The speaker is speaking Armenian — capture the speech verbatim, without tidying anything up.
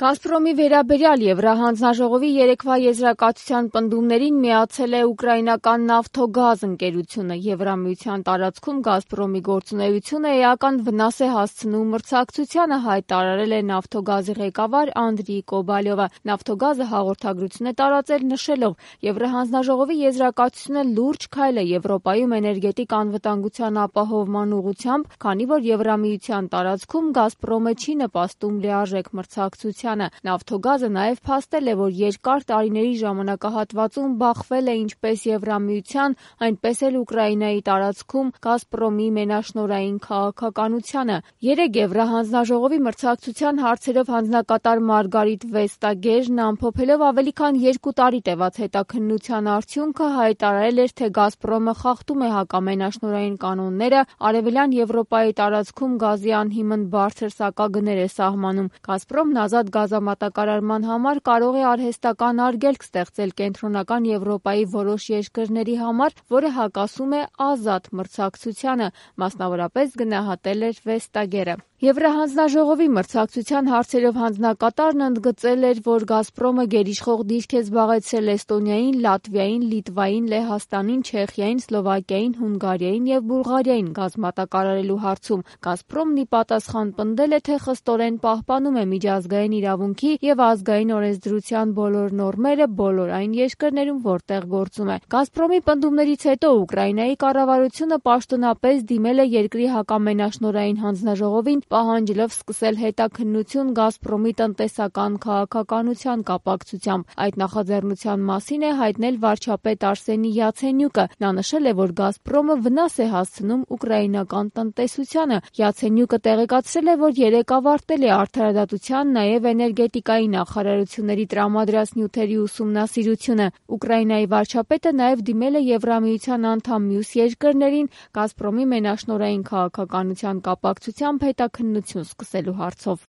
«Գազպրոմի» վերաբերյալ Եվրահանձնաժողովի երեկվա եզրակացության պնդումներին միացել է ուկրաինական «Նավթոգազ» ընկերությունը։ Եվրամիության տարածքում «Գազպրոմի» գործունեությունը էական վնաս է հասցնում մրցակցությանը, հայտարարել է «Նավթոգազի» ղեկավար Անդրիյ Կոբալյովը։ «Նավթոգազը» հաղորդագրություն է տարածել, նշելով. «Եվրահանձնաժողովի եզրակացությունը լուրջ քայլ է Եվրոպայում էներգետիկ անվտանգության ապահովման ուղղությամբ, քանի որ Եվրամիության տարածքում «Գազպրոմը» չի նպաստում լիարժեք մրցակցությանը։ «Նավթոգազը» նաև փաստել է, որ երկար տարիների ժամանակահատվածում բախվել է ինչպես Եվրամիության, այնպես էլ Ուկրաինայի տարածքում «Գազպրոմի» մենաշնորհային քաղաքականությանը։ Երեկ Եվրահանձնաժողովի մրցակցության հարցերով հանձնակատար Մարգարիտ Վեստագերն ամփոփելով ավելի քան երկու տարի տևած հետաքննության արդյունքը, հայտարարել էր, թե «Գազպրոմը» խախտում է հակամենաշնորհային կանոնները, Արևելյան Եվրոպայի տարածքում գազի անհիմն բարձր սակագներ է սահմանում։ «Գազպրոմն» ազատ գազամատակարարման համար կարող է արհեստական արգելք ստեղծել Կենտրոնական Եվրոպայի որոշ երկրների համար, որը հակասում է ազատ մրցակցությանը, մասնավորապես գնահատել էր Վեստագերը։ Եվրահանձնաժողովի մրցակցության հարցերով հանձնակատարն ընդգծել էր, որ «Գազպրոմը» գերիշխող դիրք է զբաղեցրել Էստոնիային, Լատվիային, Լիտվային, Լեհաստանին, Չեխիային, Սլովակիային, Հունգարիային և Բուլղարիային գազ մատակարարելու հարցում։ «Գազպրոմն» ի պատասխան պնդել է, թե խստորեն պահպանում է միջազգային իրավունքի և ազգային օրենսդրության բոլոր նորմերը բոլոր այն երկրներում, որտեղ գործում է։ «Գազպրոմի» պնդումներից հետո Ուկրաինայի կառավարությունը պաշտոնապես դիմել է երկրի հակամենաշնորհային հանձնաժողովին, պահանջելով սկսել հետաքննություն «Գազպրոմի» տնտեսական քաղաքականության կապակցությամբ։ Այդ նախաձեռնության մասին է հայտնել վարչապետ Արսենի Յացենյուկը։ Նա նշել է, որ «Գազպրոմը» վնաս է հասցնում ուկրաինական տնտեսությանը։ Յացենյուկը տեղեկացրել է, որ երեկ ավարտել է արդարադատության, նաև էներգետիկայի նախարարությունների տրամադրած նյութերի ուսումնասիրությունը։ Ուկրաինայի վարչապետը նաև դիմել է Եվրամիության անդամ մյուս երկրներին «Գազպրոմի» մենաշնորհային քաղաքականության կապակցությամբ հետաքննություն սկսելու հարցով։